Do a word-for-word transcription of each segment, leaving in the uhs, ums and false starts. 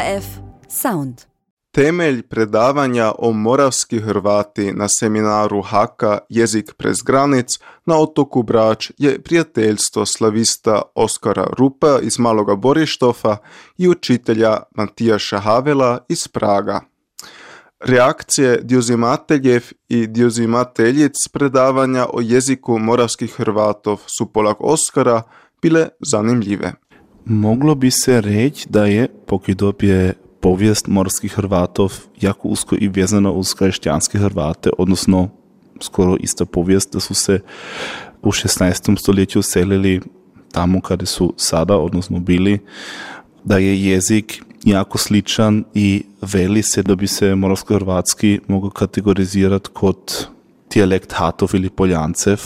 F Sound. Temelj predavanja o moravski Hrvati na seminaru Haka Jezik prez granic na otoku Brač je prijateljstvo slavista Oskara Rupa iz Maloga Borištofa i učitelja Matijaša Havela iz Praga. Reakcije djuzimateljev i djuzimateljic predavanja o jeziku moravskih Hrvatov su poleg Oskara bile zanimljive. Moglo bi se reći da je Pokidop je povijest morskih Hrvatov jako usko i vezana uz kršćanske Hrvate, odnosno skoro ista povijest da su se u šesnaestom stoljeću selili tamo kada su sada, odnosno bili, da je jezik jako sličan i veli se da bi se moravsko-hrvatski mogao kategorizirati kot dijalekt Hatov ili Poljancev.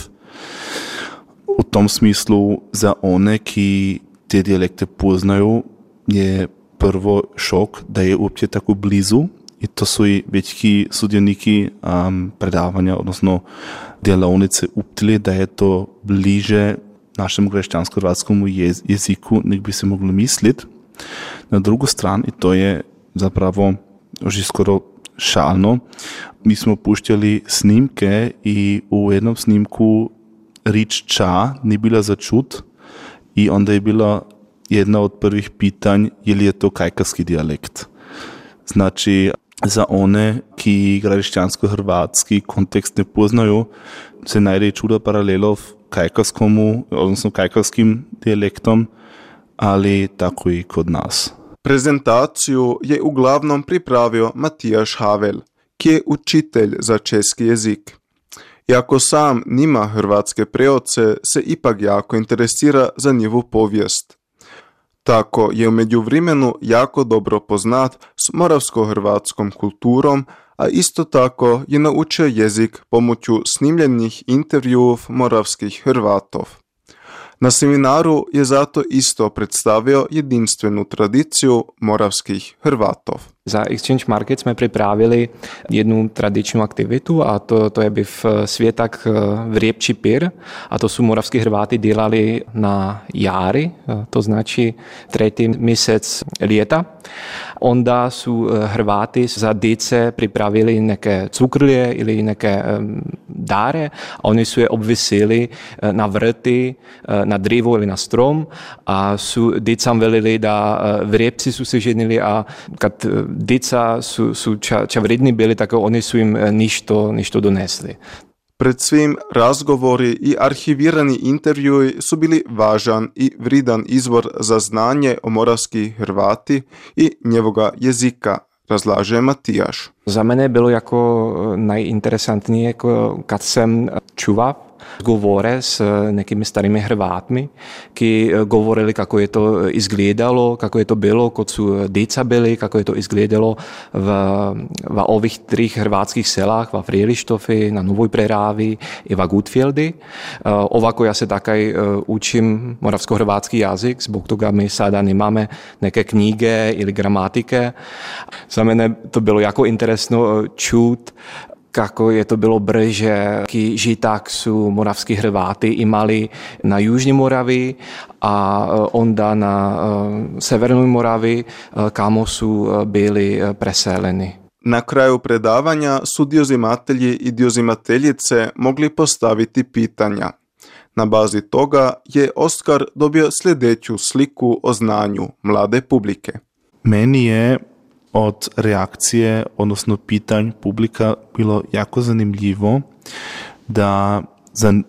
U tom smislu za one ki te dijalekte poznaju je prvo šok da je uopće tako blizu i to su i većki sudioniki um, predavanja, odnosno delavnice uptili da je to bliže našem kršćansko-hrvatskom jez, jeziku nek bi se moglo misliti. Na drugu stranu, i to je zapravo že skoro šalno, mi smo puštjali snimke i u jednom snimku rič ča ni bila za čut i onda je bila jedna od prvih pitanj je li je to kajkavski dijalekt. Znači, za one ki kršćansko-hrvatski kontekst ne poznaju, se najde čuda paralelov kajkavskomu, odnosno kajkavskim dijalektom, ali tako i kod nas. Prezentaciju je uglavnom pripravio Matijaš Havel, ki je učitelj za česki jezik. Iako sam nima hrvatske preoce, se ipak jako interesira za njivu povijest. Tako je u međuvremenu jako dobro poznat s moravsko-hrvatskom kulturom, a isto tako je naučio jezik pomoću snimljenih intervjuov moravskih Hrvatov. Na seminaru je zato isto predstavio jedinstvenu tradiciju moravskih Hrvatov. Za Exchange Market jsme pripravili jednu tradičnu aktivitu a to, to je byv světak Vriepči pir a to su moravskí Hrváti dělali na jari, to znači tretí měsíc lieta. Onda su Hrváti za dice pripravili neke cukrlje ili neke dáre a oni su je obvisili na vrty, na drivo ili na strom a su dicam velili da vriepci su se ženili a kad dica su, su ča, ča vredni bili, tako oni su im ništo, ništo donesli. Pred svim razgovori i arhivirani intervjui su bili važan i vridan izvor za znanje o moravskih Hrvati i njevoga jezika, razlaže Matijaš. Za mene bylo jako najinteresantnije, kad jsem čuva govore s nekými starými Hrvátmi, ki govorili kako je to izgledalo, kako je to bilo, kod su dica byli, kako je to izgledalo v, v ovih trih hrvatskih selách, v Frielištofi, na Novoj Prerávi i v Gutfieldi. Ovako ja se takaj učím moravsko-hrvatský jazyk, zbog toga my sada nemáme neke knjige ili gramatike. Za mene to bylo jako interesno čut, kako je to bylo brže, ký žiták sú moravskí Hrváti imali na Južní Moravi a onda na Severnoj Moravi, kamo su bili preseleni. Na kraju predavanja su djuzimatelji i djuzimateljice mogli postaviti pitanja. Na bazi toga je Oskar dobio sljedeću sliku o znanju mlade publike. Meni je od reakcije, odnosno pitanj publika bilo jako zanimljivo da,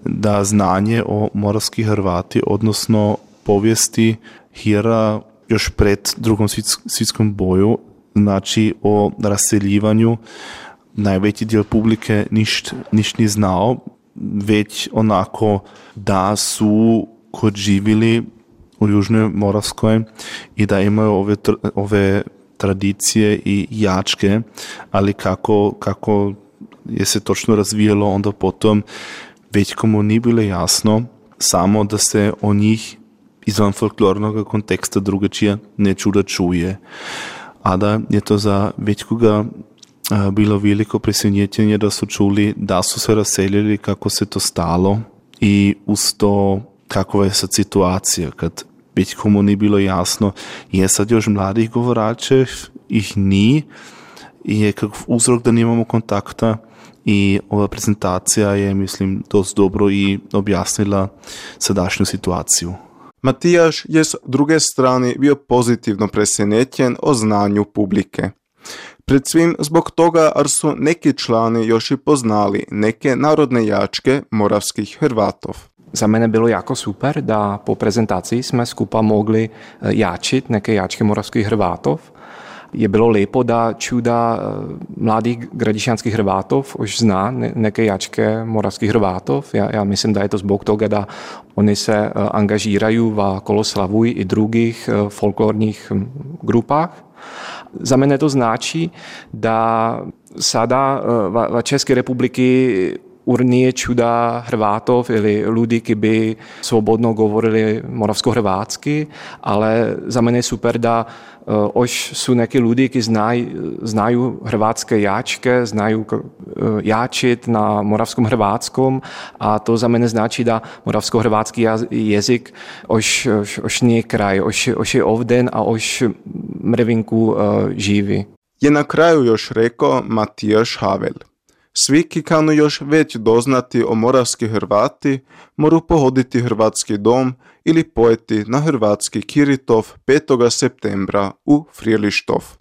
da znanje o moravskih Hrvati, odnosno povijesti Hira još pred drugom svjetskom boju, znači o raseljivanju, najveći dio publike ništa niš ni znao, već onako da su kod živjeli u Južnoj Moravskoj i da imaju ove, ove tradicije i jačke, ali kako, kako je se točno razvijalo onda potom, već komu nije bilo jasno, samo da se o njih izvan folklornog konteksta drugačije neču da čuje. A da je to za večkoga bilo veliko presenjetenje da su čuli da su se raseljili, kako se to stalo i uz to kakva je sad situacija, kad već komu nije bilo jasno, je sad još mladih govoračev, ih ni, je kakav uzrok da nemamo kontakta i ova prezentacija je, mislim, dost dobro i objasnila sadašnju situaciju. Matijaš je s druge strane bio pozitivno presenečen o znanju publike. Pred svim zbog toga, jer su neki člani još i poznali neke narodne jačke moravskih Hrvatov. Za mene bylo jako super, da po prezentaciji jsme skupa mogli jačit neke jačke moravskih Hrvatov. Je bilo lepo, da čuda mladých gradišťanských Hrvatov už zná neke jačke moravských Hrvatov. Ja, ja myslím, da je to zbog toga da oni se angažíraju v Koloslavuj i drugých folklorních grupách. Za mene to znači da sada v České republiky urnie čuda Hrvatov ili ľudí, ki by svobodno govorili moravsko-hrvátsky, ale za mene je super, da uh, už sú neki ľudí, ki znaj, znajú hrvátske jačke, znajú uh, jačit na moravskom hrvátskom a to za mene znači da moravsko-hrvatský jazyk už, už, už nie kraj, už, už je ovden a už mrvinku uh, živi. Je na kraju još rekao Matijaš Havel. Svi ki kanu još već doznati o moravski Hrvati, moru pohoditi Hrvatski dom ili pojeti na Hrvatski Kiritov petog septembra u Frjelištov.